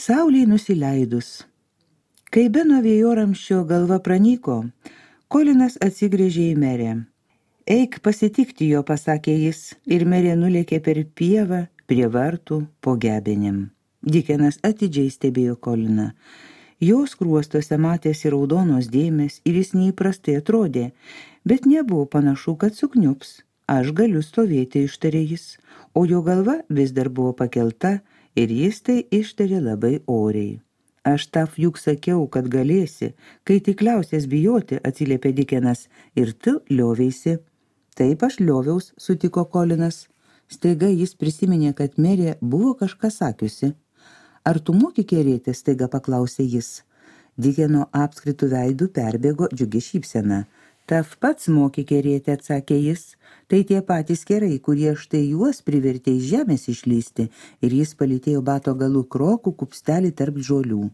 Saulei nusileidus. Kai Beno vėjoramsčio galva pranyko, Kolinas atsigręžė į merę. Eik pasitikti jo, pasakė jis, ir merė nulėkė per pievą prie vartų po gebenėm. Dikenas atidžiai stebėjo Koliną. Jos skruostuose matėsi raudonos dėmės ir jis neįprastai atrodė, bet nebuvo panašu, kad sukniups. Aš galiu stovėti, ištarė jis, o jo galva vis dar buvo pakelta ir jis tai ištarė labai oriai. Aš tau juk sakiau, kad galėsi, kai tik liausies bijoti, atsiliepė Dikenas, ir tu lioveisi. Taip aš lioviaus, sutiko Kolinas. Staiga jis prisiminė, kad merė buvo kažką sakiusi. Ar tu moki kerėti, staiga paklausė jis. Dikeno apskritų veidų perbėgo džiugi šypsena. Taf pats moki kerėti, atsakė jis. Tai tie patys kerai, kurie štai juos privertė iš žemės išlysti, ir jis palytėjo bato galų krokų kupstelį tarp žolių.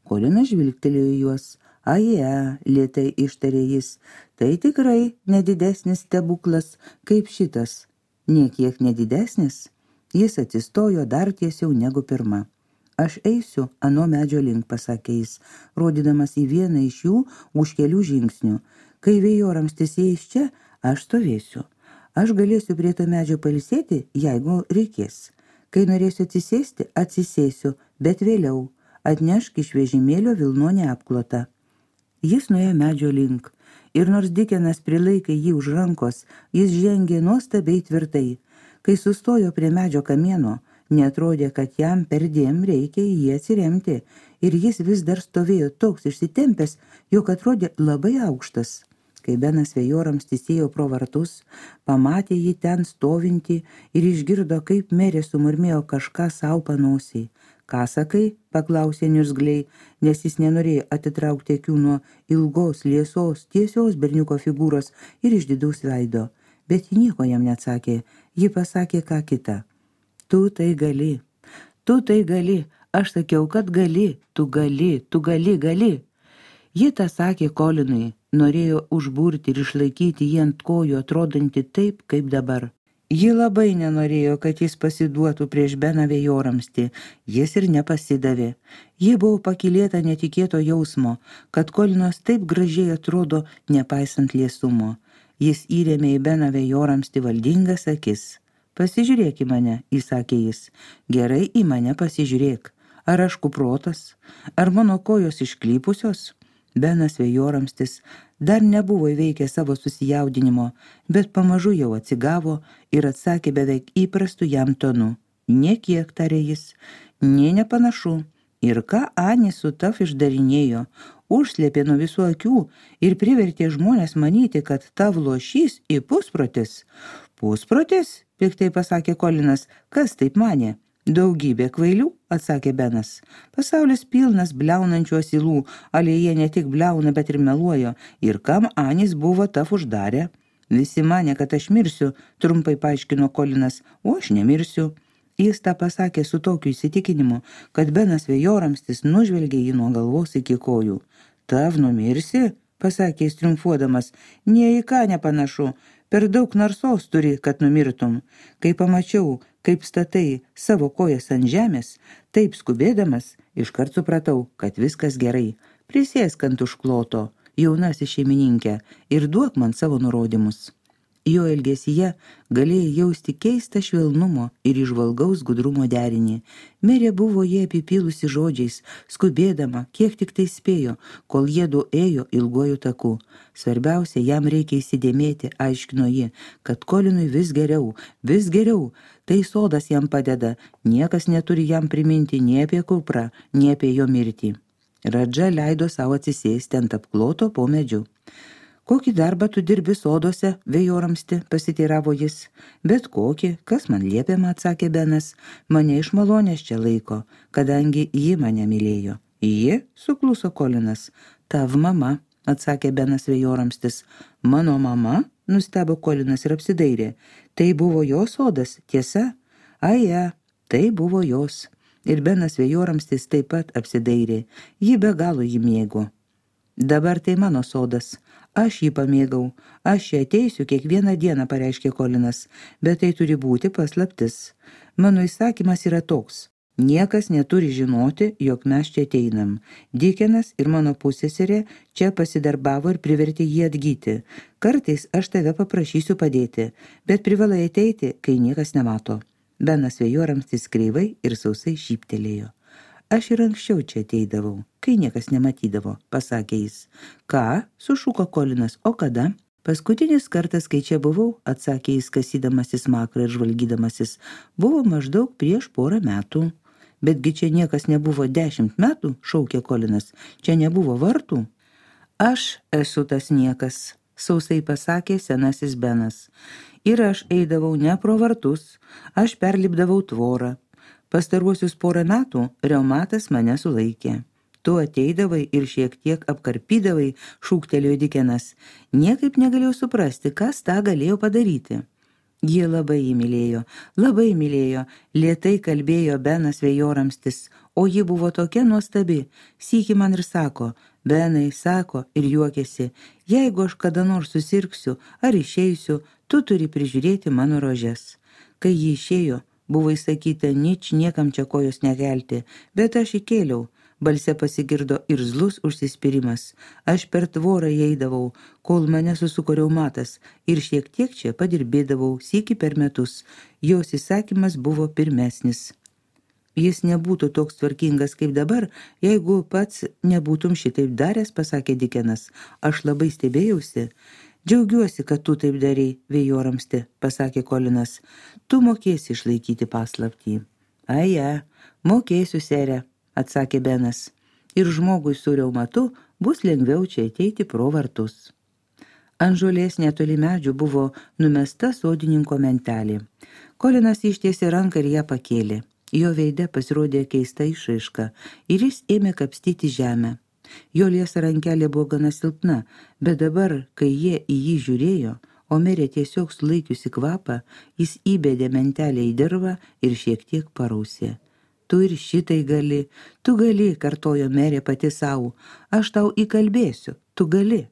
Kolinas žvilgtelėjo juos. Aje, lėtai ištarė jis, tai tikrai nedidesnis stebuklas kaip šitas. Niekiek nedidesnis. Jis atsistojo dar tiesiau negu pirma. Aš eisiu ano medžio link, pasakė jis, rodydamas į vieną iš jų už kelių žingsnių. Kai vėjoramstis eis čia, aš stovėsiu. Aš galėsiu prie to medžio pailsėti, jeigu reikės. Kai norėsiu atsisėsti, atsisėsiu, bet vėliau atnešk iš vežimėlio vilnonę apklotą. Jis nuėjo medžio link, ir nors Dikenas prilaikė jį už rankos, jis žengė nuostabiai tvirtai. Kai sustojo prie medžio kamieno, neatrodė, kad jam perdėm reikia į jį atsiremti, ir jis vis dar stovėjo toks išsitempęs, jog atrodė labai aukštas. Kai Benas vėjoramstis ėjo pro vartus, pamatė jį ten stovintį ir išgirdo, kaip merė sumurmėjo kažką sau panosiai. Ką sakai? Paklausė niurzgliai, nes jis nenorėjo atitraukti akių nuo ilgos, liesos, tiesios berniuko figūros ir išdidaus veido. Bet ji nieko jam neatsakė, ji pasakė ką kitą. Tu tai gali, aš sakiau, kad gali, tu gali. Ji tą sakė Kolinui, norėjo užburti ir išlaikyti jį ant kojų, atrodantį taip, kaip dabar. Ji labai nenorėjo, kad jis pasiduotų prieš Beną vėjoramstį, jis ir nepasidavė. Ji buvo pakylėta netikėto jausmo, kad Kolinas taip gražiai atrodo, nepaisant liesumo. Jis įrėmė į Beną vėjoramstį valdingas akis. Pasižiūrėk į mane, įsakė jis. Gerai į mane pasižiūrėk. Ar aš kuprotas? Ar mano kojos išklypusios? Benas vėjoramstis dar nebuvo įveikę savo susijaudinimo, bet pamažu jau atsigavo ir atsakė beveik įprastu jam tonu. Niekiek, tarė jis, nė nepanašu. Ir ką Ani su taf išdarinėjo, užslėpė nuo visų akių ir privertė žmonės manyti, kad tav lošys į pusprotis. Pusprotis? Piktai pasakė Kolinas, kas taip manė? Daugybė kvailių, atsakė Benas. Pasaulis pilnas bliaunančių asilų, ale jie ne tik bliauna, bet ir meluojo. Ir kam Anis buvo taf uždarę? Visi manė, kad aš mirsiu, trumpai paaiškino Kolinas, o aš nemirsiu. Jis tą pasakė su tokiu įsitikinimu, kad Benas vėjoramstis nužvelgė jį nuo galvos iki kojų. Tav numirsi? Pasakė jis triumfuodamas. Nie į ką nepanašu. Per daug narsos turi, kad numirtum. Kai pamačiau, kaip statai savo kojas ant žemės, taip skubėdamas, iškart supratau, kad viskas gerai. Prisėsk ant užkloto, jaunasis šeimininkė, ir duok man savo nurodymus. Jo elgesyje galėjai jausti keistą švelnumo ir įžvalgaus gudrumo derinį. Merė buvo jie apipylusi žodžiais, skubėdama, kiek tik tai spėjo, kol jiedu ėjo ilguoju taku. Svarbiausia, jam reikia įsidėmėti, aiškino ji, kad Kolinui vis geriau. Tai sodas jam padeda, niekas neturi jam priminti nei apie kuprą, nei apie jo mirtį. Radža leido savo atsisėsti ant apkloto po medžiu. Kokį darbą tu dirbi soduose, vėjoramsti, pasiteiravo jis. Bet kokį, kas man liepiama, atsakė Benas. Mane iš malonės čia laiko, kadangi ji mane mylėjo. Ji, sukluso Kolinas. Tav mama, atsakė Benas vėjoramstis. Mano mama, nustebo Kolinas ir apsidairė. Tai buvo jos sodas, tiesa? Aja, tai buvo jos. Ir Benas vėjoramstis taip pat apsidairė. Ji be galo jį mėgo. Dabar tai mano sodas. Aš jį pamėgau. Aš čia ateisiu kiekvieną dieną, pareiškė Kolinas, bet tai turi būti paslaptis. Mano įsakymas yra toks. Niekas neturi žinoti, jog mes čia ateinam. Dikenas ir mano pusseserė čia pasidarbavo ir privertė jį atgyti. Kartais aš tave paprašysiu padėti, bet privalai ateiti, kai niekas nemato. Benas Vėjoramstis kreivai ir sausai šyptelėjo. Aš ir anksčiau čia ateidavau, kai niekas nematydavo, pasakė jis. Ką? Sušuko Kolinas. O kada? Paskutinis kartas, kai čia buvau, atsakė jis kasydamasis makrą ir žvalgydamasis, buvo maždaug prieš 4 metų. Betgi čia niekas nebuvo 10 metų, šaukė Kolinas. Čia nebuvo vartų. Aš esu tas niekas, sausai pasakė senasis Benas. Ir aš eidavau ne pro vartus, aš perlipdavau tvorą. Pastaruosius 4 metų reumatas mane sulaikė. Tu ateidavai ir šiek tiek apkarpydavai, šūktelėjo Dikenas. Niekaip negalėjau suprasti, kas tą galėjo padaryti. Ji labai įmylėjo, lėtai kalbėjo Benas Vėjoramstis, o ji buvo tokia nuostabi. Sykį man ir sako, Benai, sako ir juokėsi, jeigu aš kada nors susirgsiu ar išeisiu, tu turi prižiūrėti mano rožes. Kai ji išėjo, buvo įsakyta niekam čia kojos nekelti, bet aš įkėliau. Balse pasigirdo irzlus užsispyrimas. Aš per tvorą eidavau, kol mane susuko reumatas ir šiek tiek čia padirbėdavau sykį per metus. Jos įsakymas buvo pirmesnis. Jis nebūtų toks tvarkingas kaip dabar, jeigu pats nebūtum šitaip daręs, pasakė Dikenas. Aš labai stebėjausi. Džiaugiuosi, kad tu taip darei, Vėjoramsti, pasakė Kolinas. Tu mokėsi išlaikyti paslaptį. Aja, mokėsiu, sere, atsakė Benas. Ir žmogui su reumatu bus lengviau čia ateiti pro vartus. Ant žolės netoli medžių buvo numesta sodininko mentelė. Kolinas ištiesė ranką ir ją pakėlė. Jo veide pasirodė keista išraiška ir jis ėmė kapstyti žemę. Jo liesa rankelė buvo gana silpna, bet dabar, kai jie į jį žiūrėjo, o merė tiesiog sulaikiusi kvapą, jis įbedė mentelę į dirvą ir šiek tiek parausė. Tu ir šitai gali, tu gali, kartojo merė pati savo, aš tau įkalbėsiu, tu gali.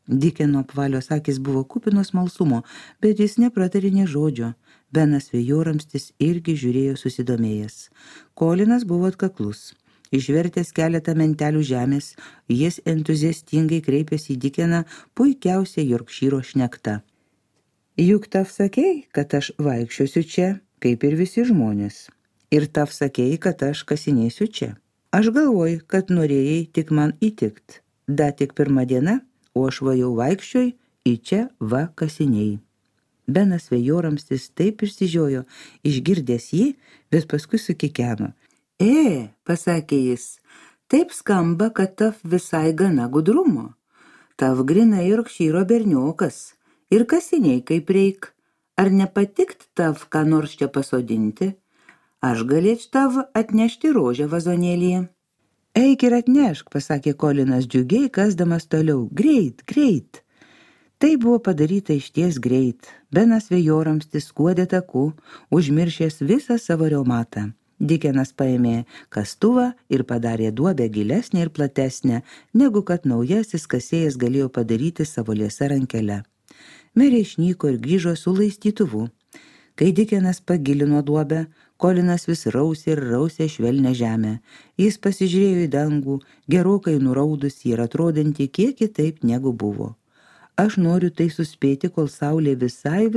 Dikeno apvalios akis buvo kupinos smalsumo, bet jis nepratarė nė žodžio. Benas Vėjoramstis irgi žiūrėjo susidomėjęs. Kolinas buvo atkaklus. Išvertęs keletą mentelių žemės, jis entuziastingai kreipėsi į Dikeną puikiausia Jorkšyro šnekta. Juk tav sakei, kad aš vaikščiosiu čia, kaip ir visi žmonės. Ir tav sakei, kad aš kasinėsiu čia. Aš galvoju, kad norėjai tik man įtikt. Da tik 1 diena, o aš vajau vaikščioj į čia va kasinėjai. Benas Vėjoramstis taip išsižiojo, išgirdęs jį, bet paskui sukikeno. Pasakė jis, taip skamba, kad tav visai gana gudrumo. Tav grinai Jorkšyro berniokas. Ir kasiniai kaip reik. Ar nepatikt tav ką nors čia pasodinti? Aš galėčiau tav atnešti rožę vazonėlyje. Eik ir atnešk, pasakė Kolinas džiugiai, kasdamas toliau. Greit. Tai buvo padaryta išties greit. Benas Vėjoramstis skuodė taku, užmiršęs visą savo reumatą. Dikenas paėmė kastuvą ir padarė duobę gilesnę ir platesnę, negu kad naujasis kasėjas galėjo padaryti savo liesa rankele. Merė išnyko ir grįžo su laistytuvu. Kai Dikenas pagilino duobę, Kolinas vis rausė švelnią žemę. Jis pasižiūrėjo į dangų, gerokai nuraudusį ir atrodantį kiek kitaip negu buvo. Aš noriu tai suspėti, kol saulė visai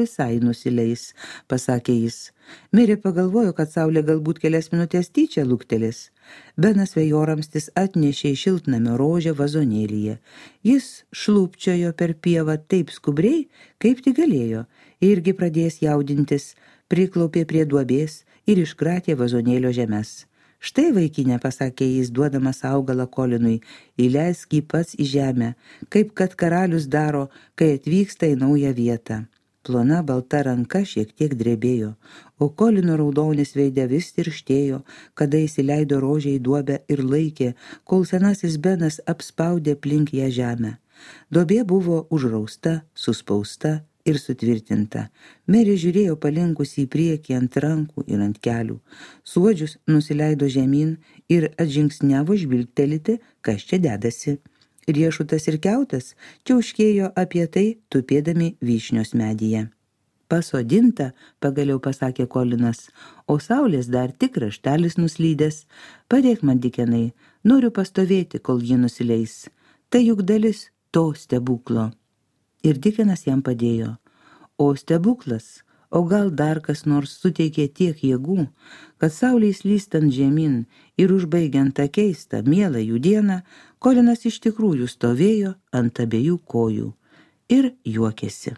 nusileis, pasakė jis. Merė pagalvojo, kad saulė galbūt kelias minutės tyčia luktelės. Benas Vėjoramstis atnešė į šiltnamio rožę vazonėlyje. Jis šlūpčiojo per pievą taip skubriai, kaip tik galėjo, irgi pradėjęs jaudintis, priklaupė prie duobės ir iškratė vazonėlio žemes. Štai vaikinė, pasakė jis, duodamas augalą Kolinui, įleisk jį pats į žemę, kaip kad karalius daro, kai atvyksta į naują vietą. Plona balta ranka šiek tiek drebėjo, o Kolino raudonis veide vis tirštėjo, kada įsileido rožę į duobę ir laikė, kol senasis Benas apspaudė aplink ją žemę. Duobė buvo užrausta, suspausta ir sutvirtinta. Merė žiūrėjo palinkusi į priekį ant rankų ir ant kelių. Suodžius nusileido žemyn ir atžingsniavo žvilgtelėti, kas čia dedasi. Riešutas ir kiautas čiauškėjo apie tai, tupėdami vyšnios medyje. Pasodinta, pagaliau pasakė Kolinas, o saulės dar tik kraštelis nuslydęs. Padėk man, Dikenai, noriu pastovėti, kol ji nusileis. Tai juk dalis to stebuklo. Ir Dikenas jam padėjo. O stebuklas, o gal dar kas nors suteikė tiek jėgų, kad saulei slystant žemyn ir užbaigiant tą keistą, mielą jų dieną, Kolinas iš tikrųjų stovėjo ant abiejų kojų ir juokėsi.